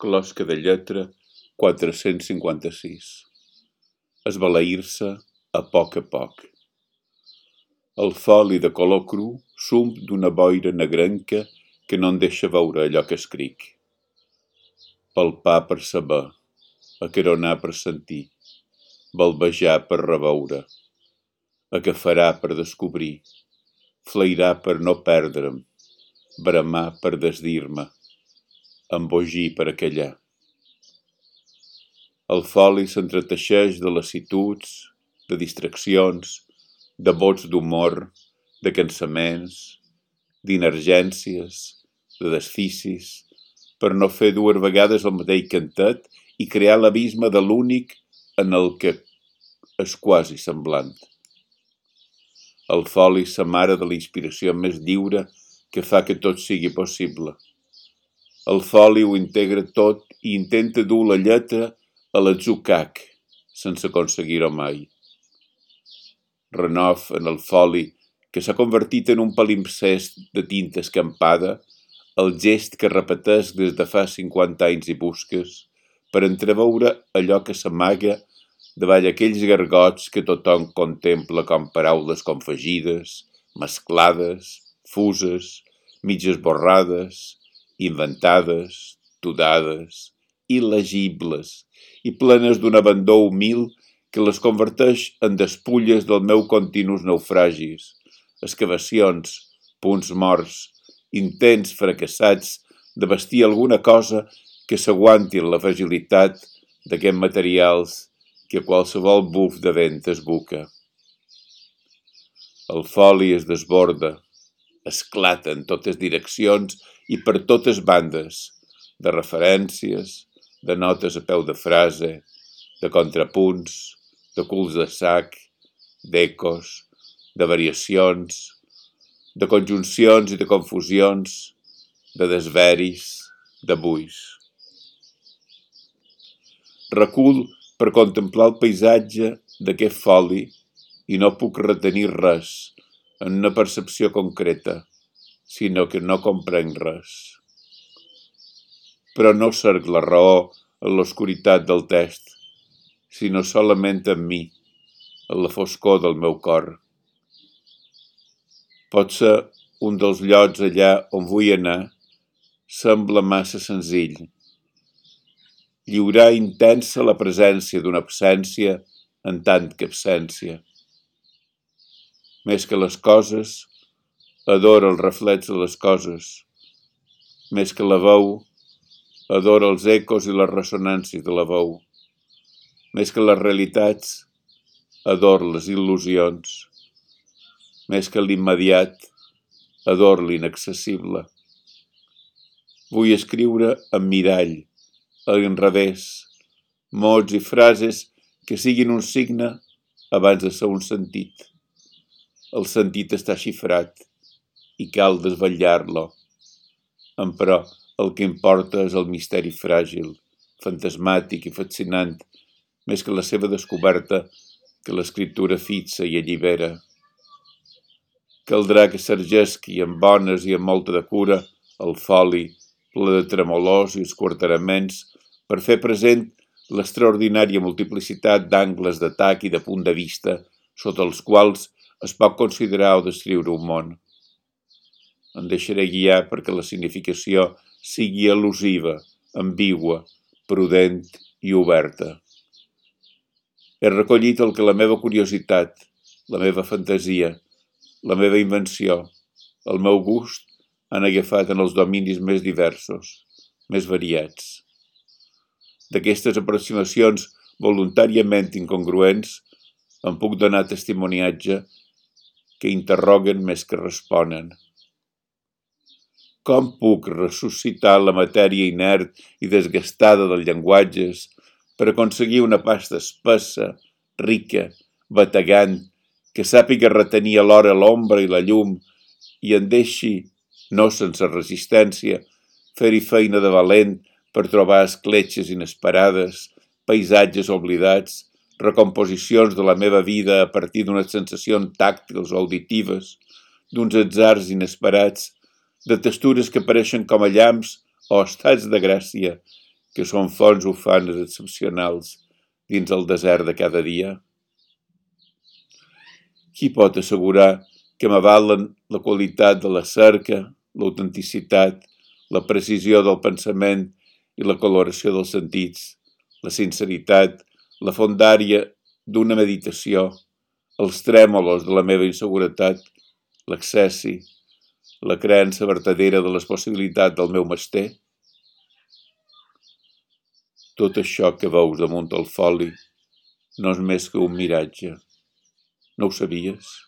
Closca de lletra 456. Esbalair-se a poc. El foli de color cru sump d'una boira negrenca que no en deixa veure allò que escric. Palpar per saber, acaronar per sentir, balbejar per reveure, agafarar per descobrir, flairar per no perdre'm, bramar per desdir-me, embogir per aquellar. El foli s'entreteixeix de lassituds, de distraccions, de bots d'humor, de cansaments, d'inergències, de desficis, per no fer dues vegades el mateix cantet i crear l'abisme de l'únic en el que és quasi semblant. El foli s'amara de la inspiració més lliure que fa que tot sigui possible. El foli ho integra tot i intenta dur la lletra a l'atzucac, sense aconseguir-ho mai. Renov en el foli, que s'ha convertit en un palimpsest de tinta escampada, el gest que repeteix des de fa 50 anys i busques, per entreveure allò que s'amaga davall aquells gargots que tothom contempla com paraules confegides, mesclades, fuses, mig esborrades, inventades, tudades, il·legibles i plenes d'un abandó humil que les converteix en despulles del meu continus naufragis, excavacions, punts morts, intents fracassats de vestir alguna cosa que s'aguanti en la fragilitat d'aquests materials que qualsevol buf de vent esbuca. El foli es desborda, esclata en totes direccions i per totes bandes, de referències, de notes a peu de frase, de contrapunts, de culs de sac, d'ecos, de variacions, de conjuncions i de confusions, de desveris, de buis. Recul per contemplar el paisatge d'aquest foli i no puc retenir res en una percepció concreta, sinó que no comprenc res. Però no cerc la raó en l'oscuritat del text, sinó solament en mi, en la foscor del meu cor. Potser un dels llocs allà on vull anar sembla massa senzill. Lliurar intensa la presència d'una absència en tant que absència. Més que les coses, adoro el reflex de les coses. Més que la veu, adoro els ecos i les ressonàncies de la veu. Més que les realitats, adoro les il·lusions. Més que l'immediat, adoro l'inaccessible. Vull escriure en mirall, en revés, mots i frases que siguin un signe abans de ser un sentit. El sentit està xifrat i cal desvetllar-lo. Però el que importa és el misteri fràgil, fantasmàtic i fascinant, més que la seva descoberta que l'escriptura fixa i allibera. Caldrà que s'ergesqui amb bones i amb molta de cura el foli, ple de tremolors i esquarteraments, per fer present l'extraordinària multiplicitat d'angles d'atac i de punt de vista sota els quals es pot considerar o descriure un món. Em deixaré guiar perquè la significació sigui al·lusiva, ambigua, prudent i oberta. He recollit el que la meva curiositat, la meva fantasia, la meva invenció, el meu gust han agafat en els dominis més diversos, més variats. D'aquestes aproximacions voluntàriament incongruents em puc donar testimoniatge que interroguen més que responen. Com puc ressuscitar la matèria inert i desgastada dels llenguatges per aconseguir una pasta espessa, rica, bategant, que sàpiga retenir alhora l'ombra i la llum i en deixi, no sense resistència, fer-hi feina de valent per trobar escletxes inesperades, paisatges oblidats, recomposicions de la meva vida a partir d'unes sensacions tàctils o auditives, d'uns atzars inesperats, de textures que apareixen com a llamps o estats de gràcia que són fonts ufanes excepcionals dins el desert de cada dia? Qui pot assegurar que m'avalen la qualitat de la cerca, l'autenticitat, la precisió del pensament i la coloració dels sentits, la sinceritat, la fondària d'una meditació, els trèmolos de la meva inseguretat, l'accessi, la creença vertadera de les possibilitats del meu mester? Tot això que veus damunt el foli no és més que un miratge. No ho sabies?